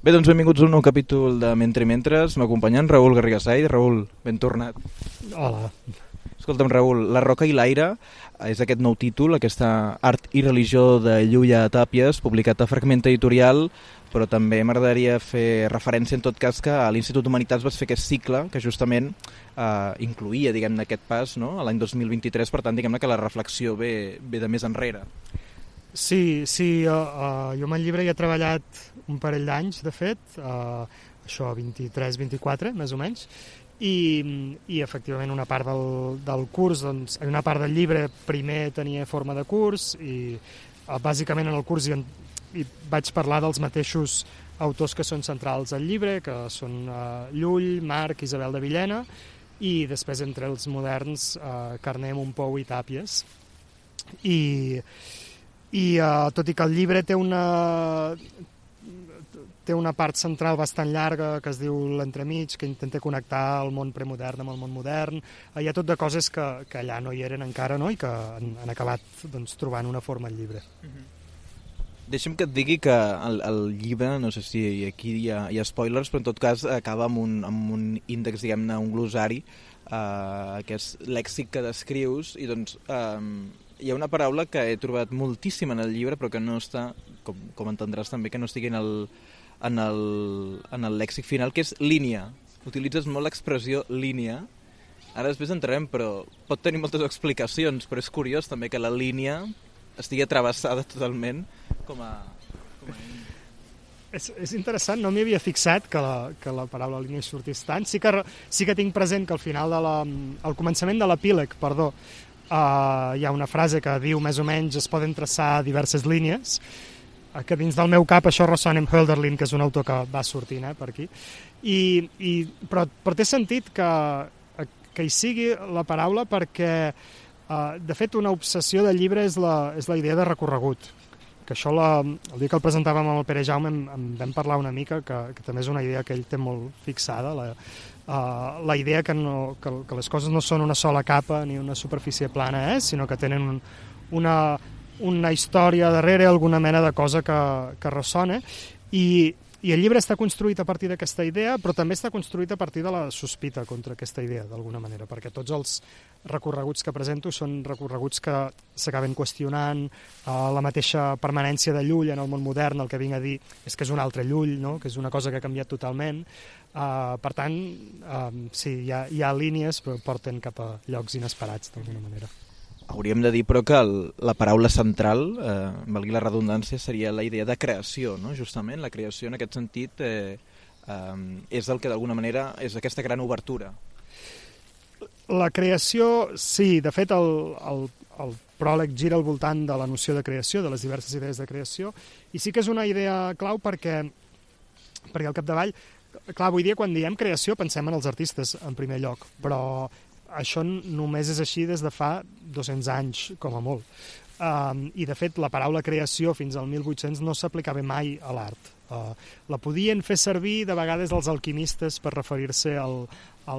Bé, doncs benvinguts a un nou capítol de Mentre Mentres. M'acompanyen Raül Garrigasai. Raül, ben tornat. Hola. Escolta'm, Raül, La roca i l'aire és aquest nou títol, aquesta art i religió de Llulla Tàpies, publicat a Fragment Editorial, però també m'agradaria fer referència en tot cas que a l'Institut d'Humanitats vas fer aquest cicle que justament incluïa, diguem-ne, aquest pas, no?, a l'any 2023, per tant, diguem-ne que la reflexió ve de més enrere. Sí, jo amb el llibre hi he treballat un parell d'anys, de fet, això 23-24, més o menys, i efectivament una part del curs, doncs, una part del llibre primer tenia forma de curs i bàsicament en el curs hi vaig parlar dels mateixos autors que són centrals al llibre, que són Llull, Marc, Isabel de Villena, i després entre els moderns Carner, Montpou i Tàpies. I tot i que el llibre té una part central bastant llarga que es diu l'entremig, que intenta connectar el món premodern amb el món modern. Hi ha tot de coses que allà no hi eren encara, no?, i que han acabat, doncs, trobant una forma al llibre. Deixa'm que et digui que el llibre, no sé si aquí hi ha spoilers, però en tot cas acaba amb un índex, diguem-ne, un glossari, que és lèxic que descrius, i doncs hi ha una paraula que he trobat moltíssim en el llibre, però que no està, com entendràs també, que no estigui en el lèxic final, que és línia. Utilitzes molt l'expressió línia. Ara després entrarem, però pot tenir moltes explicacions, però és curiós també que la línia estigui travessada totalment com a... És interessant, no m'hi havia fixat que la paraula línia sortís tant. Sí que tinc present que al final al començament de l'epíleg, hi ha una frase que diu més o menys es poden traçar diverses línies, que dins del meu cap això ressona amb Hölderlin, que és un autor que va sortint per aquí, però té sentit que hi sigui la paraula perquè de fet una obsessió del llibre és la idea de recorregut, que això el dia que el presentàvem amb el Pere Jaume en vam parlar una mica, que també és una idea que ell té molt fixada, la idea que les coses no són una sola capa ni una superfície plana, sinó que tenen una història darrere, alguna mena de cosa que ressona, i el llibre està construït a partir d'aquesta idea, però també està construït a partir de la sospita contra aquesta idea, d'alguna manera, perquè tots els recorreguts que presento són recorreguts que s'acaben qüestionant la mateixa permanència de Llull en el món modern. El que vinc a dir és que és un altre Llull, no?, que és una cosa que ha canviat totalment. Per tant, sí, hi ha línies, però porten cap a llocs inesperats, d'alguna manera. Hauríem de dir, però, que la paraula central, valgui la redundància, seria la idea de creació, no? Justament, la creació en aquest sentit és el que d'alguna manera és aquesta gran obertura. La creació, sí, de fet el pròleg gira al voltant de la noció de creació, de les diverses idees de creació, i sí que és una idea clau perquè al capdavall, clar, avui dia quan diem creació pensem en els artistes en primer lloc, però això només és així des de fa 200 anys, com a molt. I, de fet, la paraula creació fins al 1800 no s'aplicava mai a l'art. La podien fer servir de vegades els alquimistes per referir-se a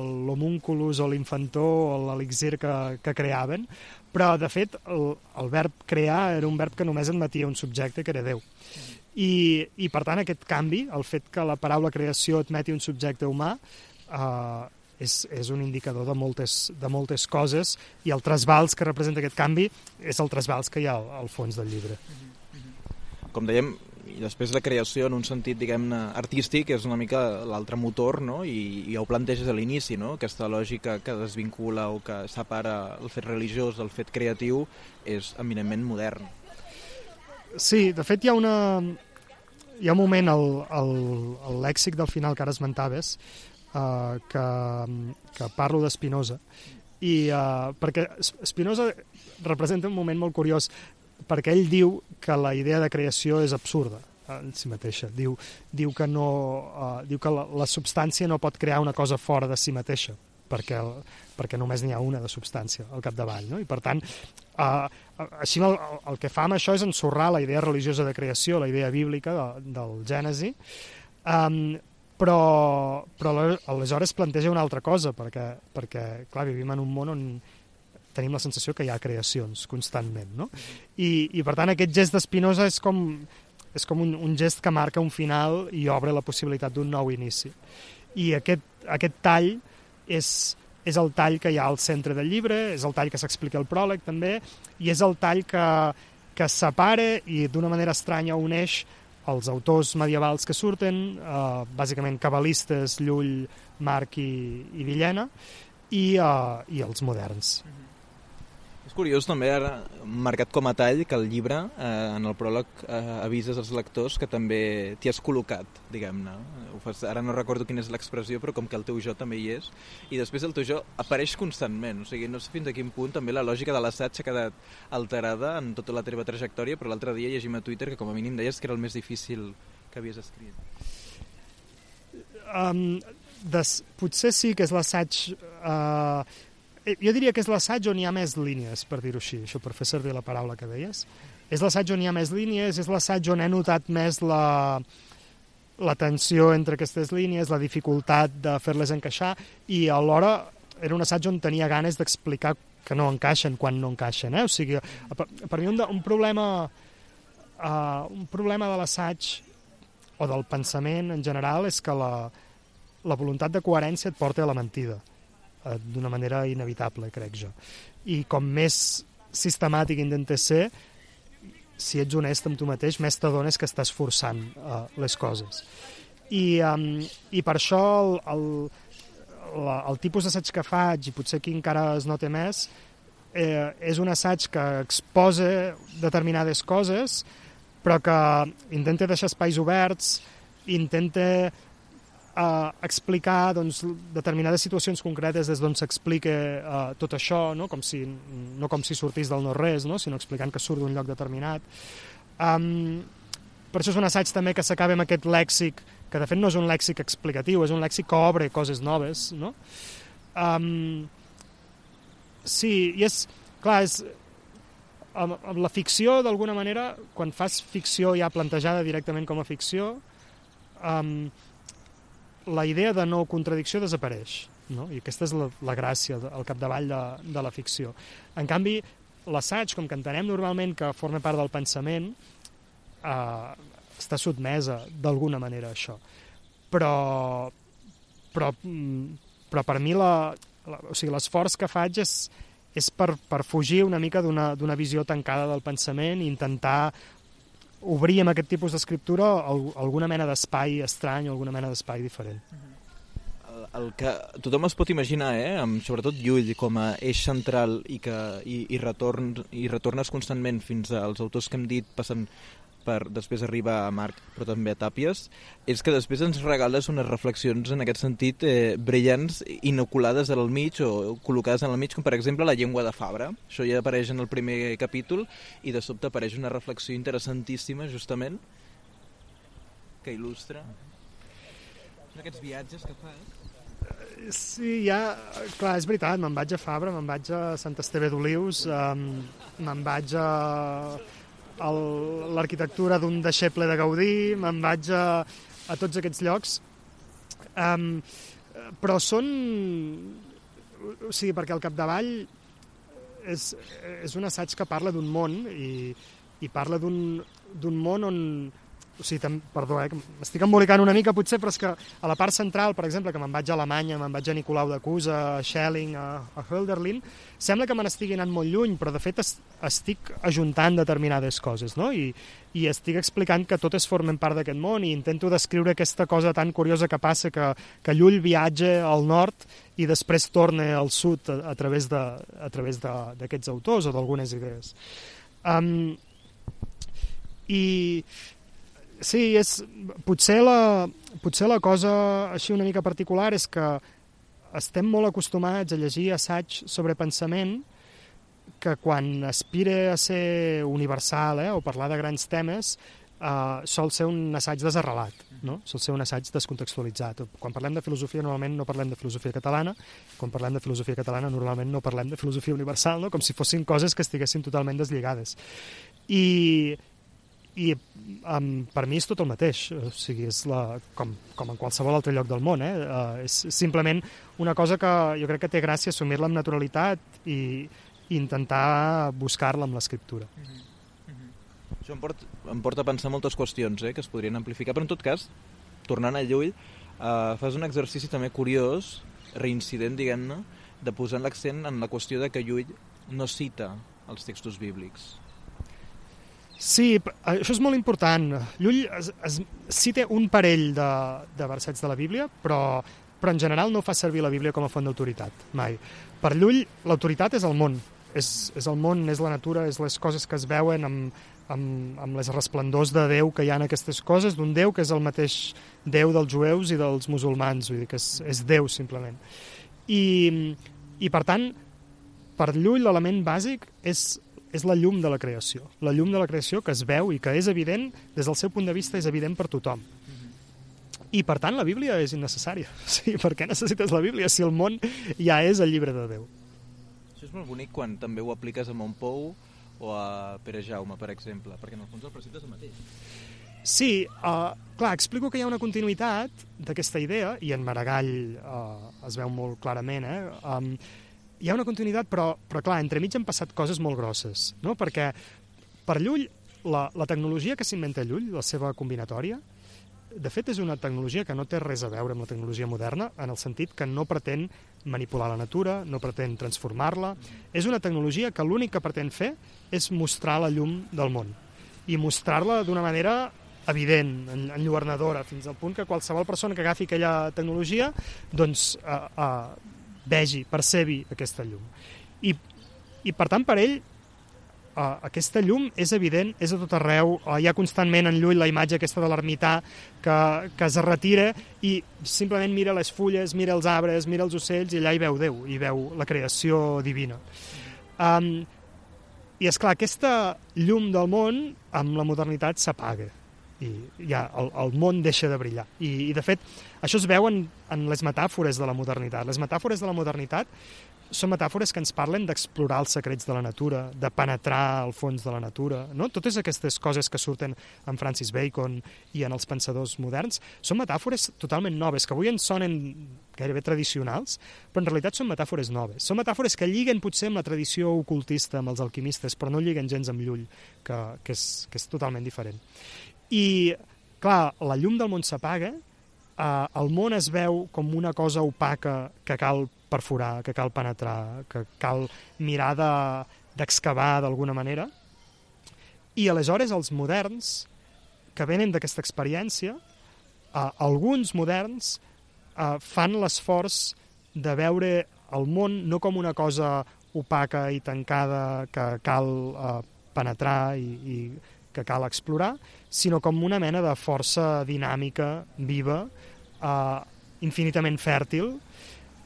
l'homúnculus o l'infantó o l'elixir que creaven, però, de fet, el verb crear era un verb que només admetia un subjecte, que era Déu. I per tant, aquest canvi, el fet que la paraula creació admeti un subjecte humà, és un indicador de moltes coses, i el trasbals que representa aquest canvi és el trasbals que hi ha al fons del llibre. Com dèiem, i després la creació en un sentit, diguem-ne, artístic és una mica l'altre motor, no? I ja ho planteges a l'inici, no? Aquesta lògica que desvincula o que separa el fet religiós del fet creatiu és eminentment modern. Sí, de fet hi ha un moment al lèxic del final que ara esmentaves, que parlo de Spinoza, perquè Spinoza representa un moment molt curiós, perquè ell diu que la idea de creació és absurda en si mateixa. Diu que la substància no pot crear una cosa fora de si mateixa, perquè només n'hi ha una de substància al capdavall, no? I per tant, així el que fa amb això és ensorrar la idea religiosa de creació, la idea bíblica del Gènesi, però aleshores planteja una altra cosa, perquè clar, vivim en un món on tenim la sensació que hi ha creacions constantment, no? I per tant aquest gest de Spinoza és com és com un gest que marca un final i obre la possibilitat d'un nou inici. I aquest tall és el tall que hi ha al centre del llibre, és el tall que s'explica al pròleg també, i és el tall que separa i d'una manera estranya uneix els autors medievals que surten, bàsicament cabalistes, Llull, Marc i Villena, i els moderns. És curiós també, ara, marcat com a tall, que el llibre, en el pròleg, avises als lectors que també t'hi has col·locat, diguem-ne. Ara no recordo quina és l'expressió, però com que el teu jo també hi és, i després el teu jo apareix constantment, o sigui, no sé fins a quin punt també la lògica de l'assaig ha quedat alterada en tota la teva trajectòria, però l'altre dia llegim a Twitter que com a mínim deies que era el més difícil que havies escrit. Potser sí que és l'assaig... Jo diria que és l'assaig on hi ha més línies, per dir-ho així, això per fer servir la paraula que deies. És l'assaig on hi ha més línies, és l'assaig on he notat més la tensió entre aquestes línies, la dificultat de fer-les encaixar, i alhora era un assaig on tenia ganes d'explicar que no encaixen quan no encaixen. O sigui, per mi un problema de l'assaig o del pensament en general és que la voluntat de coherència et porta a la mentida, d'una manera inevitable, crec jo. I com més sistemàtic intentes ser, si ets honest amb tu mateix, més t'adones que estàs forçant les coses. I per això el tipus d'assaig que faig, i potser aquí encara es nota més, és un assaig que exposa determinades coses, però que intenta deixar espais oberts, intenta explicar determinades situacions concretes des d'on s'explica tot això, no com si sortís del no-res, sinó explicant que surt d'un lloc determinat. Per això és un assaig també que s'acaba amb aquest lèxic, que de fet no és un lèxic explicatiu, és un lèxic que obre coses noves. No? Sí, i és... Clar, amb la ficció, d'alguna manera, quan fas ficció ja plantejada directament com a ficció, la idea de no contradicció desapareix, no? I aquesta és la gràcia al capdavall de la ficció. En canvi, l'assaig, com que entenem normalment que forma part del pensament, està sotmesa d'alguna manera a això. Però per mi l'esforç que faig és per fugir una mica d'una visió tancada del pensament i intentar obrir amb aquest tipus d'escriptura alguna mena d'espai estrany o alguna mena d'espai diferent. El que tothom es pot imaginar, amb sobretot Llull com a eix central i retornes constantment fins als autors que hem dit, passant per després arribar a Marc, però també a Tàpies, és que després ens regales unes reflexions en aquest sentit brillants, inoculades al mig o col·locades en el mig, com per exemple la llengua de Fabra. Això ja apareix en el primer capítol i de sobte apareix una reflexió interessantíssima, justament, que il·lustra aquests viatges que fas. Sí, clar, és veritat, me'n vaig a Fabra, me'n vaig a Sant Esteve d'Olius, me'n vaig a l'arquitectura d'un deixeble de Gaudí, me'n vaig a tots aquests llocs, però són... O sigui, perquè al capdavall és un assaig que parla d'un món i parla d'un món on... O sigui, perdó, m'estic embolicant una mica potser, però és que a la part central, per exemple, que me'n vaig a Alemanya, me'n vaig a Nicolau de Cusa, a Schelling, a Hölderlin, sembla que me n'estigui anant molt lluny, però de fet estic ajuntant determinades coses, no? I estic explicant que totes formen part d'aquest món i intento descriure aquesta cosa tan curiosa que passa que Llull viatja al nord i després torna al sud a través d'aquests autors o d'algunes idees. Sí, potser la cosa així una mica particular és que estem molt acostumats a llegir assaig sobre pensament que quan aspira a ser universal o parlar de grans temes sol ser un assaig desarrelat, no? Sol ser un assaig descontextualitzat. Quan parlem de filosofia normalment no parlem de filosofia catalana, quan parlem de filosofia catalana normalment no parlem de filosofia universal, no? Com si fossin coses que estiguessin totalment deslligades. I per mi és tot el mateix, o sigui, és com en qualsevol altre lloc del món, és simplement una cosa que jo crec que té gràcia assumir-la amb naturalitat i intentar buscar-la amb l'escriptura. Això em porta a pensar moltes qüestions que es podrien amplificar, però en tot cas, tornant a Llull, fas un exercici també curiós, reincident, diguem-ne, de posar l'accent en la qüestió de que Llull no cita els textos bíblics. Sí, això és molt important. Llull cita un parell de versets de la Bíblia, però en general no fa servir la Bíblia com a font d'autoritat, mai. Per Llull, l'autoritat és el món. És el món, és la natura, és les coses que es veuen amb les resplendors de Déu que hi ha en aquestes coses, d'un Déu que és el mateix Déu dels jueus i dels musulmans, vull dir que és Déu, simplement. I per tant, per Llull, l'element bàsic és la llum de la creació. La llum de la creació que es veu i que és evident, des del seu punt de vista, és evident per tothom. I, per tant, la Bíblia és innecessària. Sí, per què necessites la Bíblia si el món ja és el llibre de Déu? Això és molt bonic quan també ho apliques a Montpou o a Pere Jaume, per exemple, perquè en el fons el precepte és el mateix. Sí, clar, explico que hi ha una continuïtat d'aquesta idea, i en Maragall es veu molt clarament, hi ha una continuïtat, però clar, entremig han passat coses molt grosses, no? Perquè per Llull, la tecnologia que s'inventa Llull, la seva combinatòria, de fet és una tecnologia que no té res a veure amb la tecnologia moderna, en el sentit que no pretén manipular la natura, no pretén transformar-la. És una tecnologia que l'únic que pretén fer és mostrar la llum del món, i mostrar-la d'una manera evident, enlluernadora, fins al punt que qualsevol persona que agafi aquella tecnologia doncs vegi, percebi aquesta llum. I per tant, per ell, aquesta llum és evident, és a tot arreu, hi ha constantment en Llull la imatge aquesta de l'ermità que es retira i simplement mira les fulles, mira els arbres, mira els ocells, i allà hi veu Déu, hi veu la creació divina. I és clar, aquesta llum del món amb la modernitat s'apaga i ja el món deixa de brillar. I de fet, això es veu en les metàfores de la modernitat. Les metàfores de la modernitat són metàfores que ens parlen d'explorar els secrets de la natura, de penetrar al fons de la natura, no? Totes aquestes coses que surten en Francis Bacon i en els pensadors moderns són metàfores totalment noves, que avui ens sonen gairebé tradicionals, però en realitat són metàfores noves. Són metàfores que lliguen potser amb la tradició ocultista, amb els alquimistes, però no lliguen gens amb Llull, que és totalment diferent. I, clar, la llum del món s'apaga, el món es veu com una cosa opaca que cal perforar, que cal penetrar, que cal mirar d'excavar d'alguna manera. I aleshores els moderns, que venen d'aquesta experiència, alguns moderns fan l'esforç de veure el món no com una cosa opaca i tancada que cal penetrar i que cal explorar, sinó com una mena de força dinàmica, viva, infinitament fèrtil.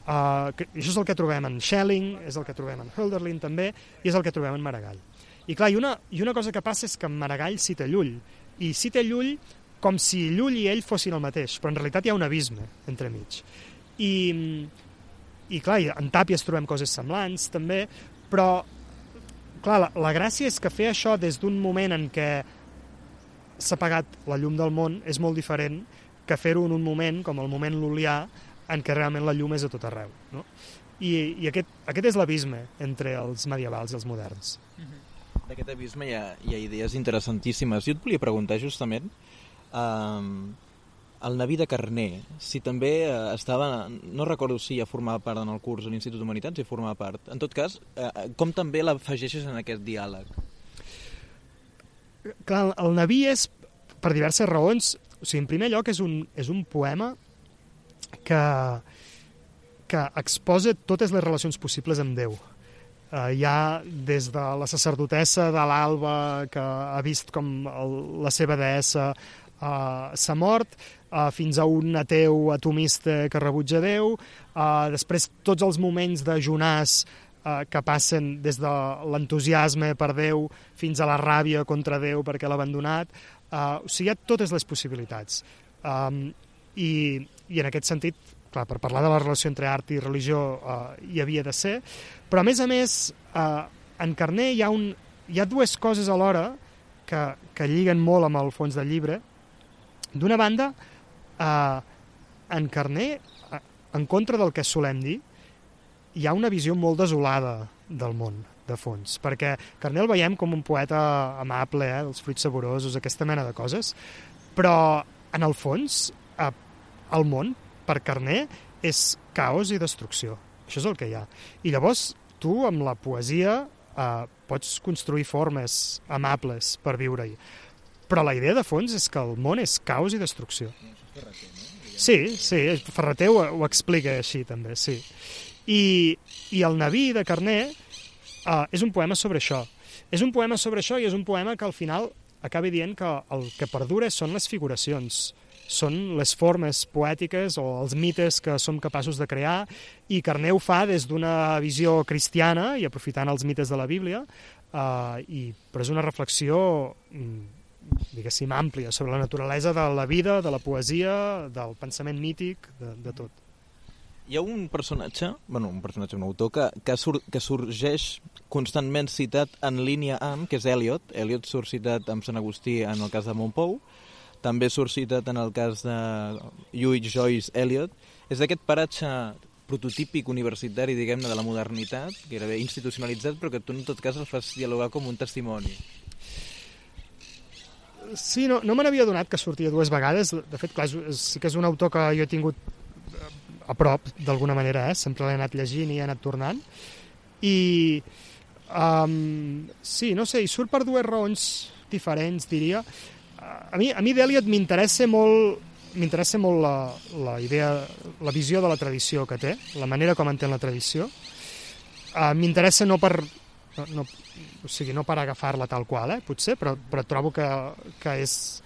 Això és el que trobem en Schelling, és el que trobem en Hölderlin també, i és el que trobem en Maragall. I clar, i una cosa que passa és que en Maragall cita Llull, i cita Llull com si Llull i ell fossin el mateix, però en realitat hi ha un abisme entremig. I clar, en Tàpies trobem coses semblants també, però clar, la gràcia és que fer això des d'un moment en què s'ha apagat la llum del món és molt diferent que fer-ho en un moment, com el moment lul·lià, en què realment la llum és a tot arreu. No? I aquest és l'abisme entre els medievals i els moderns. D'aquest abisme hi ha idees interessantíssimes. Jo et volia preguntar justament el Naví de Carner, si també estava, no recordo si ja formava part en el curs de l'Institut d'Humanitats, si formava part. En tot cas, com també l'afegeixes en aquest diàleg? Clar, el Naví és, per diverses raons, o sigui, en primer lloc és un poema que exposa totes les relacions possibles amb Déu. Hi ha des de la sacerdotessa de l'Alba, que ha vist com la seva deessa s'ha mort, fins a un ateu atomista que rebutja Déu, després tots els moments de Jonàs que passen des de l'entusiasme per Déu fins a la ràbia contra Déu perquè l'ha abandonat. O sigui, hi ha totes les possibilitats. I en aquest sentit, clar, per parlar de la relació entre art i religió hi havia de ser, però a més, en Carner hi ha dues coses alhora que lliguen molt amb el fons del llibre. D'una banda, en Carner, en contra del que solem dir, hi ha una visió molt desolada del món, de fons, perquè Carner el veiem com un poeta amable, dels fruits saborosos, aquesta mena de coses, però en el fons el món, per Carner, és caos i destrucció. Això és el que hi ha. I llavors tu, amb la poesia, pots construir formes amables per viure-hi. Però la idea de fons és que el món és caos i destrucció. Sí, Ferreter ho explica així també, sí. I el Naví de Carner és un poema sobre això. És un poema sobre això i és un poema que al final acaba dient que el que perdura són les figuracions, són les formes poètiques o els mites que som capaços de crear, i Carner ho fa des d'una visió cristiana i aprofitant els mites de la Bíblia, però és una reflexió diguéssim àmplia sobre la naturalesa de la vida, de la poesia, del pensament mític, de tot. Hi ha un personatge, un autor que sorgeix constantment citat en línia amb, que és Eliot. Eliot surt citat amb Sant Agustí en el cas de Montpou, també surt citat en el cas de Lluís Joyce Eliot. És aquest paratge prototípic universitari, diguem-ne, de la modernitat, gairebé institucionalitzat, però que tu en tot cas el fas dialogar com un testimoni. Sí, no me n'havia donat que sortia dues vegades. De fet, clar, sí que és un autor que jo he tingut a prop, d'alguna manera, sempre l'he anat llegint i he anat tornant. I sí, no sé, i surt per dues raons diferents, diria. A mi d'Eliot m'interessa molt la idea, la visió de la tradició que té, la manera com entén la tradició. M'interessa no per agafar-la tal qual, potser, però trobo que és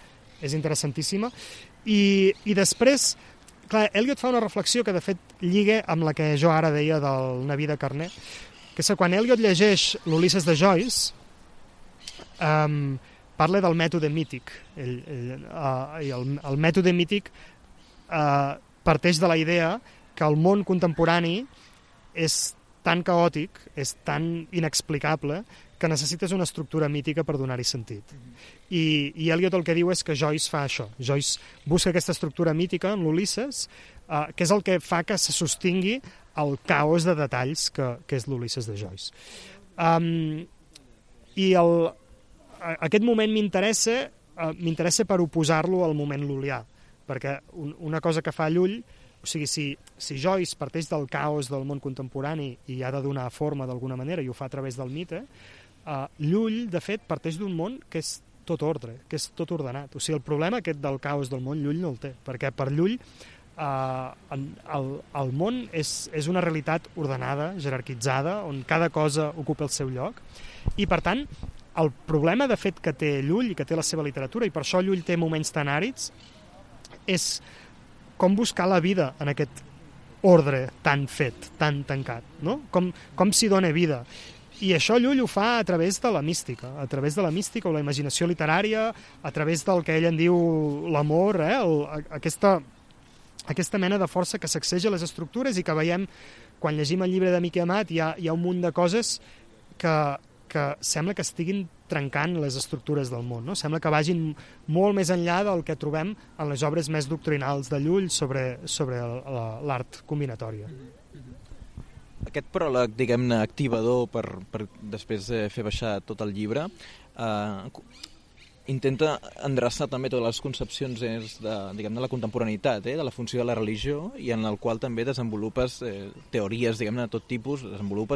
interessantíssima. I després, clar, Eliot fa una reflexió que de fet lliga amb la que jo ara deia del Naví de Carner, que és que quan Eliot llegeix l'Ulisses de Joyce, parla del mètode mític. I el mètode mític parteix de la idea que el món contemporani és tan caòtic, és tan inexplicable, que necessites una estructura mítica per donar-hi sentit. I Eliot el que diu és que Joyce fa això. Joyce busca aquesta estructura mítica en l'Ulisses, que és el que fa que se sostingui el caos de detalls que és l'Ulisses de Joyce. I aquest moment m'interessa per oposar-lo al moment lul·lià, perquè una cosa que fa Llull, o sigui, si Joyce parteix del caos del món contemporani i ha de donar forma d'alguna manera i ho fa a través del mite, Llull, de fet, parteix d'un món que és tot ordre, que és tot ordenat. O sigui, el problema aquest del caos del món, Llull no el té, perquè per Llull el món és una realitat ordenada, jerarquitzada, on cada cosa ocupa el seu lloc, i per tant, el problema de fet que té Llull i que té la seva literatura, i per això Llull té moments tan àrids, és com buscar la vida en aquest ordre tan fet, tan tancat, no? Com s'hi dona vida. I això Llull ho fa a través de la mística o la imaginació literària, a través del que ell en diu l'amor, aquesta mena de força que sacseja les estructures i que veiem, quan llegim el llibre de Miquel Amat, hi ha un munt de coses que sembla que estiguin trencant les estructures del món, no? Sembla que vagin molt més enllà del que trobem en les obres més doctrinals de Llull sobre l'art combinatòria. Aquest pròleg, diguem-ne, activador per després fer baixar tot el llibre, intenta endreçar també totes les concepcions de la contemporaneïtat, de la funció de la religió, i en el qual també desenvolupes teories, diguem-ne, de tot tipus,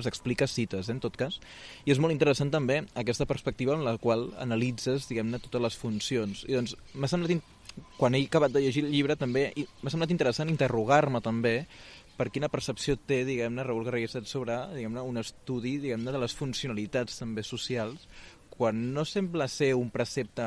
expliques, cites, en tot cas. I és molt interessant també aquesta perspectiva en la qual analitzes, diguem-ne, totes les funcions. I doncs m'ha semblat, quan he acabat de llegir el llibre, també m'ha semblat interessant interrogar-me també per quina percepció té, diguem-ne, Raül Garrigues sobre, diguem-ne, un estudi, diguem-ne, de les funcionalitats també socials, quan no sembla ser un precepte,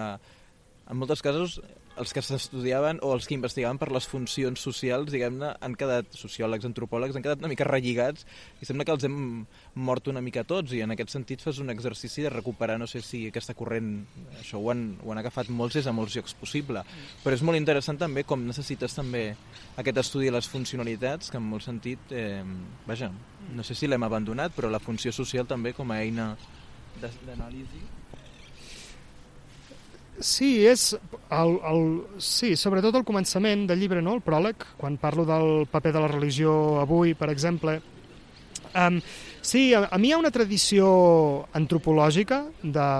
en molts casos els que s'estudiaven o els que investigaven per les funcions socials, diguem-ne, han quedat, sociòlegs, antropòlegs, han quedat una mica relligats i sembla que els hem mort una mica tots, i en aquest sentit fas un exercici de recuperar, no sé si aquesta corrent, això ho han agafat molts des de molts llocs possible, però és molt interessant també com necessites també aquest estudi de les funcionalitats, que en molt sentit, no sé si l'hem abandonat, però la funció social també com a eina d'anàlisi. Sí, sobretot al començament del llibre, no? El pròleg, quan parlo del paper de la religió avui, per exemple, Sí, a mi hi ha una tradició antropològica de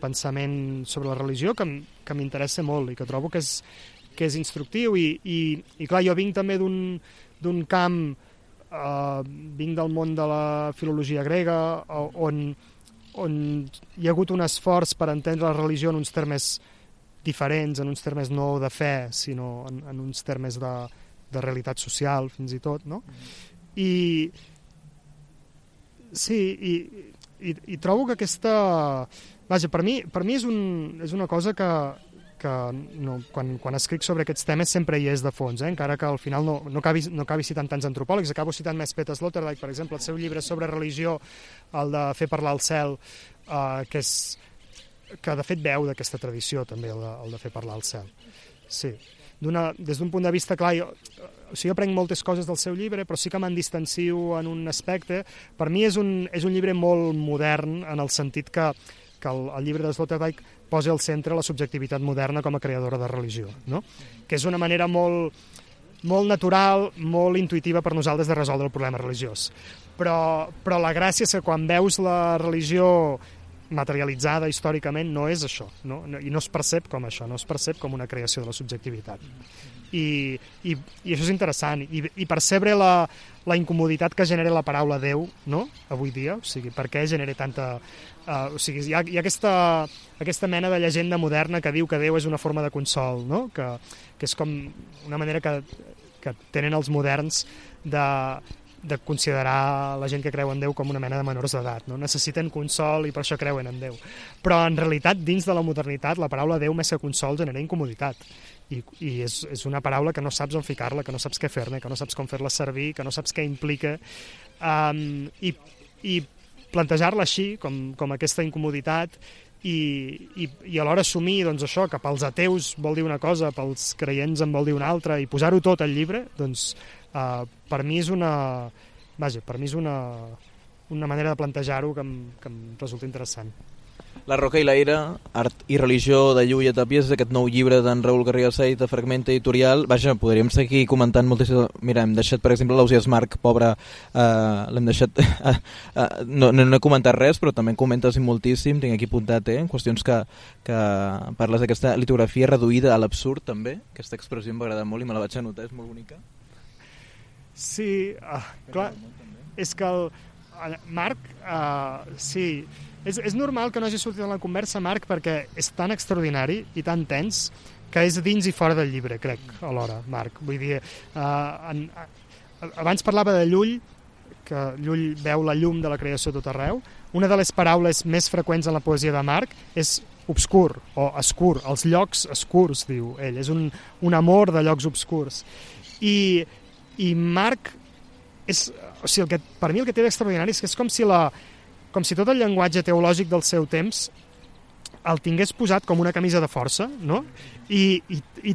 pensament sobre la religió que m'interessa molt i que trobo que és instructiu i clar, jo vinc també d'un camp, vinc del món de la filologia grega on hi ha hagut un esforç per entendre la religió en uns termes diferents, en uns termes no de fe, sinó en uns termes de realitat social, fins i tot, no? I sí, i trobo que aquesta... Vaja, per mi és una cosa que no, quan escric sobre aquests temes sempre hi és de fons, encara que al final no acabi citant tants antropòlegs, acabo citant més Peter Sloterdijk, per exemple, el seu llibre sobre religió, el de Fer parlar el cel, que de fet veu d'aquesta tradició també, el de fer parlar el cel. Sí. Des d'un punt de vista clar, jo aprenc moltes coses del seu llibre, però sí que me'n distancio en un aspecte. Per mi és un llibre molt modern, en el sentit que el llibre de Sloterdijk posa al centre la subjectivitat moderna com a creadora de religió, no? Que és una manera molt natural, molt intuïtiva per nosaltres de resoldre el problema religiós. Però la gràcia és que quan veus la religió materialitzada històricament no és això, no? I no es percep com això, no es percep com una creació de la subjectivitat. I això és interessant, i percebre la incomoditat que genera la paraula Déu, no?, avui dia, o sigui, per què genera tanta... o sigui, hi ha aquesta mena de llegenda moderna que diu que Déu és una forma de consol, no?, que és com una manera que tenen els moderns de considerar la gent que creu en Déu com una mena de menors d'edat, no? Necessiten consol i per això creuen en Déu. Però en realitat, dins de la modernitat, la paraula Déu més que consol genera incomoditat. I és una paraula que no saps on ficar-la, que no saps què fer-ne, que no saps com fer-la servir, que no saps què implica. I plantejar-la així, com aquesta incomoditat, i alhora assumir doncs, això, que pels ateus vol dir una cosa, pels creients en vol dir una altra, i posar-ho tot al llibre, doncs per mi és una manera de plantejar-ho que em resulta interessant. La Roca i l'aire, art i religió de Lluïa Tàpies, aquest nou llibre d'en Raül Garriga Sait, de Fragmenta Editorial. Vaja, podríem seguir comentant moltíssim. Mira, hem deixat, per exemple, l'Ausiàs Marc, pobre, l'hem deixat... no he comentat res, però també en comentes moltíssim, tinc aquí apuntat, qüestions que parles d'aquesta litografia reduïda a l'absurd, també. Aquesta expressió em va agradar molt i me la vaig anotar, és molt bonica. Sí, clar, és que el Marc, sí, és normal que no hagi sortit en la conversa, Marc, perquè és tan extraordinari i tan tens que és dins i fora del llibre, crec, alhora, Marc. Vull dir, abans parlava de Llull, que Llull veu la llum de la creació tot arreu. Una de les paraules més freqüents en la poesia de Marc és obscur o escur, els llocs escurs, diu ell, és un amor de llocs obscurs. I Marc o sigui, per mi el que té d'extraordinari és que és com si tot el llenguatge teològic del seu temps el tingués posat com una camisa de força, no? I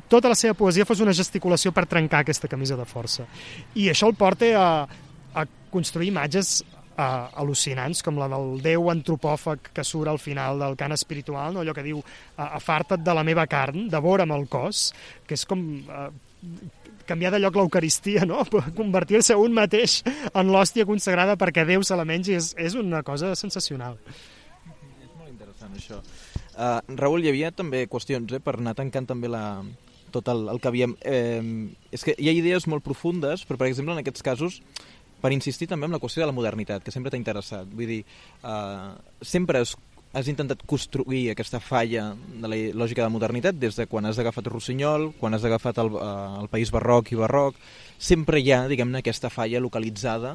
tota la seva poesia fos una gesticulació per trencar aquesta camisa de força. I això el porta a construir imatges al·lucinants, com la del Déu antropòfag que surt al final del cant espiritual, no? Allò que diu afarta't de la meva carn, devora'm el cos, que és com... canviar de lloc l'Eucaristia, no? Convertir-se un mateix en l'hòstia consagrada perquè Déu se la mengi és una cosa sensacional. És molt interessant, això. Raül, hi havia també qüestions, per anar tancant també tot el que havíem... és que hi ha idees molt profundes, però, per exemple, en aquests casos, per insistir també en la qüestió de la modernitat, que sempre t'ha interessat. Vull dir, sempre has intentat construir aquesta falla de la lògica de modernitat des de quan has agafat Rossinyol, quan has agafat el País Barroc i Barroc. Sempre hi ha, diguem-ne, aquesta falla localitzada,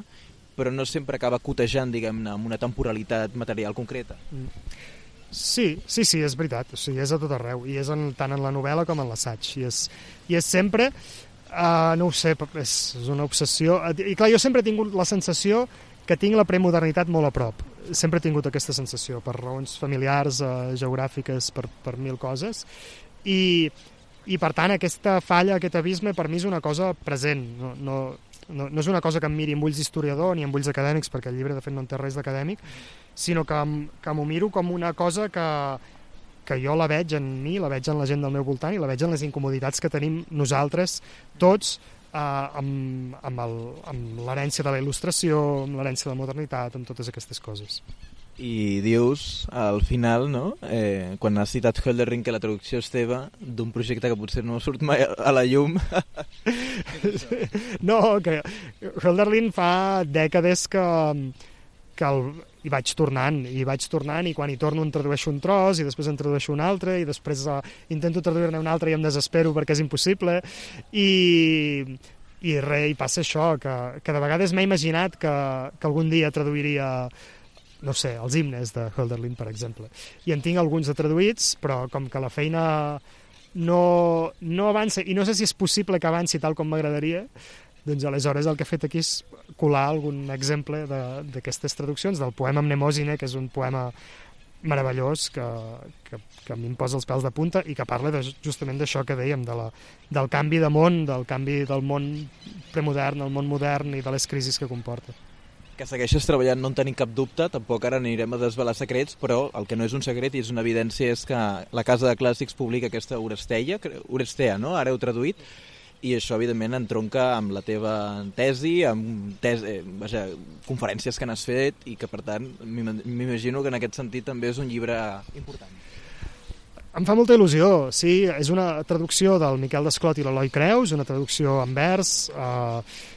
però no sempre acaba cotejant, diguem-ne, amb una temporalitat material concreta. Sí, és veritat. O sigui, és a tot arreu, i és tant en la novel·la com en l'assaig. I és sempre... no ho sé, és una obsessió. I clar, jo sempre he tingut la sensació que tinc la premodernitat molt a prop. Sempre he tingut aquesta sensació, per raons familiars, geogràfiques, per mil coses. I per tant, aquesta falla, aquest abisme, per mi és una cosa present. No és una cosa que em miri amb ulls d'historiador ni amb ulls acadèmics, perquè el llibre, de fet, no en té res d'acadèmic, sinó que m'ho miro com una cosa que jo la veig en mi, la veig en la gent del meu voltant i la veig en les incomoditats que tenim nosaltres, tots, amb l'herència de la il·lustració, amb l'herència de la modernitat, amb totes aquestes coses. I dius, al final, no? Quan has citat Hölderlin, que la traducció és teva d'un projecte que potser no surt mai a la llum. No, que Hölderlin fa dècades que hi vaig tornant, i quan hi torno en tradueixo un tros, i després en tradueixo un altre, i després intento traduir-ne un altre i em desespero perquè és impossible, i passa això, que de vegades m'he imaginat que algun dia traduiria, no sé, els himnes de Hölderlin, per exemple. I en tinc alguns de traduïts, però com que la feina no avança, i no sé si és possible que avanci tal com m'agradaria, doncs aleshores el que he fet aquí és colar algun exemple d'aquestes traduccions, del poema Mnemòsine, que és un poema meravellós que a mi em posa els pèls de punta i que parla justament d'això que dèiem, del canvi de món, del canvi del món premodern al món modern i de les crisis que comporta. Que segueixes treballant, no en tenim cap dubte, tampoc ara anirem a desvelar secrets, però el que no és un secret i és una evidència és que la Casa de Clàssics publica aquesta Orestea, no? Ara heu traduït, i això evidentment entronca amb la teva tesi, amb conferències que n'has fet, i que per tant m'imagino que en aquest sentit també és un llibre important. Em fa molta il·lusió, sí, és una traducció del Miquel Desclot i l'Eloi Creus, una traducció en vers,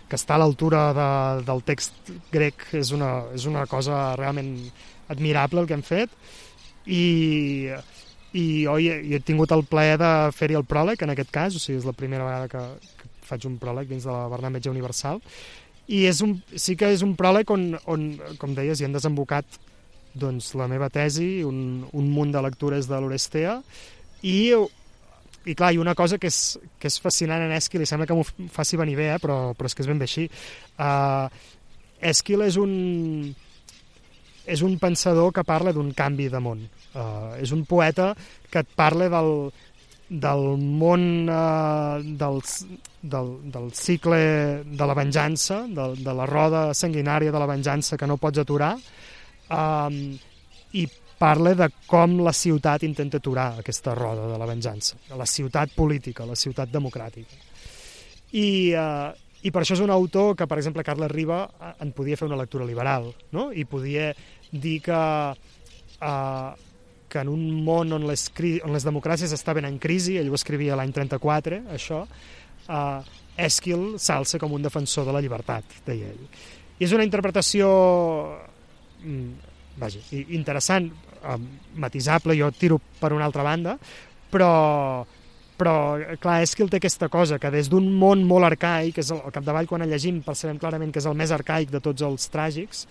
que està a l'altura del text grec, és una cosa realment admirable el que hem fet, i he tingut el plaer de fer-hi el pròleg, en aquest cas, o sigui, és la primera vegada que faig un pròleg dins de la Bernat Metge Universal, i sí que és un pròleg on com deies, hi han desembocat doncs, la meva tesi, un munt de lectures de l'Orestea, i clar, hi ha una cosa que és fascinant en Èsquil, i sembla que m'ho faci venir bé, però és que és ben bé així. Èsquil és un pensador que parla d'un canvi de món. És un poeta que et parla del món, del cicle de la venjança, de la roda sanguinària de la venjança que no pots aturar, i parla de com la ciutat intenta aturar aquesta roda de la venjança, la ciutat política, la ciutat democràtica. I per això és un autor que, per exemple, Carles Riba en podia fer una lectura liberal, no? I podia dir que en un món on les democràcies estaven en crisi, ell ho escrivia l'any 34, això, Èsquil s'alça com un defensor de la llibertat, deia ell. I és una interpretació interessant, matisable, jo tiro per una altra banda, però clar, Èsquil té aquesta cosa, que des d'un món molt arcaic, és al capdavall quan el llegim percebem clarament que és el més arcaic de tots els tràgics,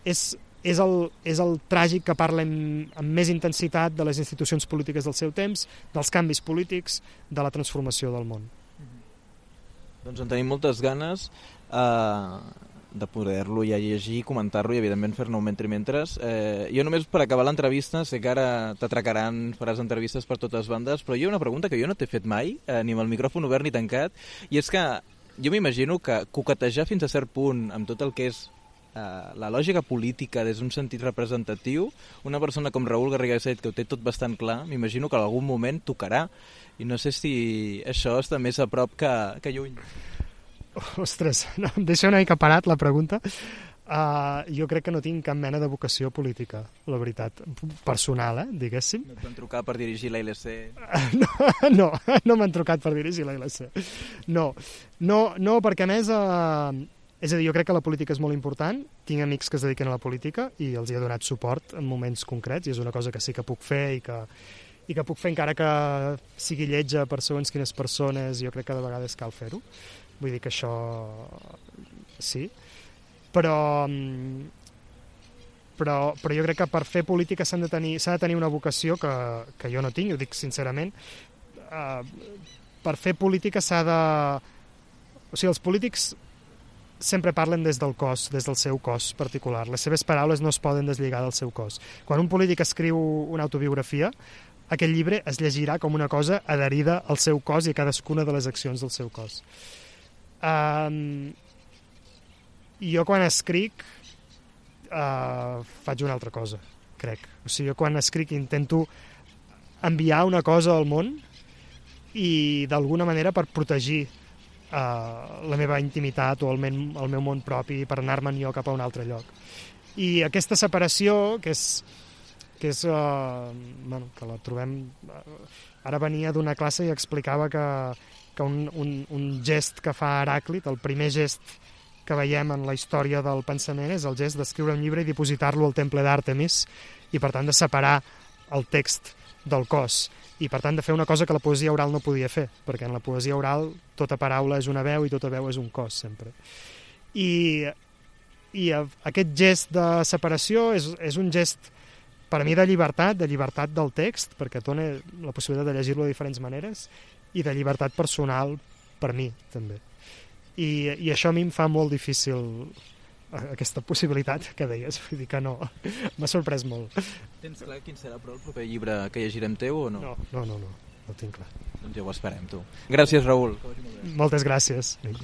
és el tràgic que parla amb més intensitat de les institucions polítiques del seu temps, dels canvis polítics, de la transformació del món. Doncs en tenim moltes ganes de poder-lo ja llegir, comentar-lo i evidentment fer-ne un mentre. Jo només per acabar l'entrevista, sé que ara t'atracaran, faràs entrevistes per totes bandes, però hi ha una pregunta que jo no t'he fet mai, ni amb el micròfon obert ni tancat, i és que jo m'imagino que coquetejar fins a cert punt amb tot el que és la lògica política des d'un sentit representatiu, una persona com Raül Garriga Set, que ho té tot bastant clar, m'imagino que en algun moment tocarà, i no sé si això està més a prop que lluny. Ostres, no, em deixa una mica parat la pregunta. Jo crec que no tinc cap mena de vocació política, la veritat, personal, diguéssim. No et van trucar per dirigir la ILC? No m'han trucat per dirigir la ILC. No, perquè a més, és a dir, jo crec que la política és molt important, tinc amics que es dediquen a la política i els hi he donat suport en moments concrets, i és una cosa que sí que puc fer i que puc fer encara que sigui lletja per segons quines persones, jo crec que de vegades cal fer-ho. Vull dir que això sí, però jo crec que per fer política s'ha de tenir una vocació que jo no tinc, ho dic sincerament. Per fer política s'ha de... O sigui, els polítics sempre parlen des del cos, des del seu cos particular. Les seves paraules no es poden deslligar del seu cos. Quan un polític escriu una autobiografia, aquell llibre es llegirà com una cosa adherida al seu cos i a cadascuna de les accions del seu cos. Jo quan escric faig una altra cosa, crec. O sigui, jo quan escric intento enviar una cosa al món i d'alguna manera per protegir la meva intimitat o el meu món propi per anar-me'n jo cap a un altre lloc. I aquesta separació, que la trobem... Ara venia d'una classe i explicava que un gest que fa Heràclit, el primer gest que veiem en la història del pensament, és el gest d'escriure un llibre i dipositar-lo al temple d'Àrtemis, i per tant de separar el text del cos, i per tant de fer una cosa que la poesia oral no podia fer, perquè en la poesia oral tota paraula és una veu i tota veu és un cos, sempre. I aquest gest de separació és un gest per a mi de llibertat del text, perquè et dona la possibilitat de llegir-lo de diferents maneres, i de llibertat personal per mi, també. I això a mi em fa molt difícil aquesta possibilitat que deies, vull dir que no, m'ha sorprès molt. Tens clar quin serà però el proper llibre que llegirem teu o no? No ho tinc clar. Doncs ja ho esperem, tu. Gràcies, Raül. Moltes gràcies. Vinga.